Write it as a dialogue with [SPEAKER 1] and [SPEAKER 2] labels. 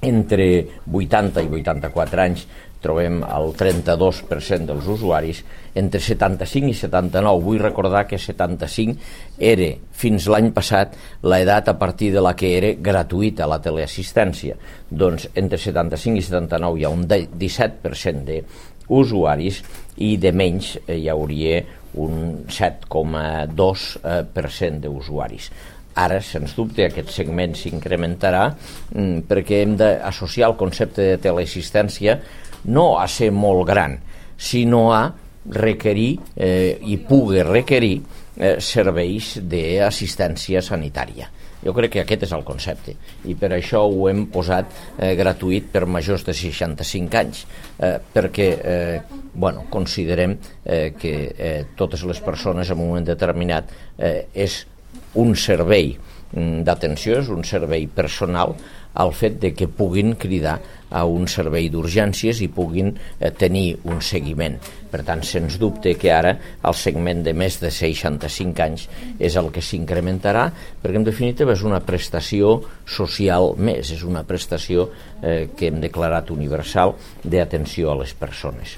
[SPEAKER 1] Entre 80 i 84 anys trobem el 32% dels usuaris, entre 75 i 79. Vull recordar que 75 era, fins l'any passat, l'edat a partir de la que era gratuïta la teleassistència. Doncs entre 75 i 79 hi ha un 17% d'usuaris i de menys hi hauria un 7,2% d'usuaris. Ara, sens dubte, aquest segment s'incrementarà perquè hem d'associar el concepte de teleassistència no a ser molt gran, sinó a requerir i pugui requerir serveis d'assistència sanitària. Jo crec que aquest és el concepte i per això ho hem posat gratuït per majors de 65 anys perquè considerem que totes les persones en un moment determinat és un servei d'atenció, és un servei personal al fet de que puguin cridar a un servei d'urgències i puguin tenir un seguiment. Per tant, sens dubte que ara el segment de més de 65 anys és el que s'incrementarà, perquè en definitiva és una prestació social més, és una prestació que hem declarat universal d'atenció a les persones.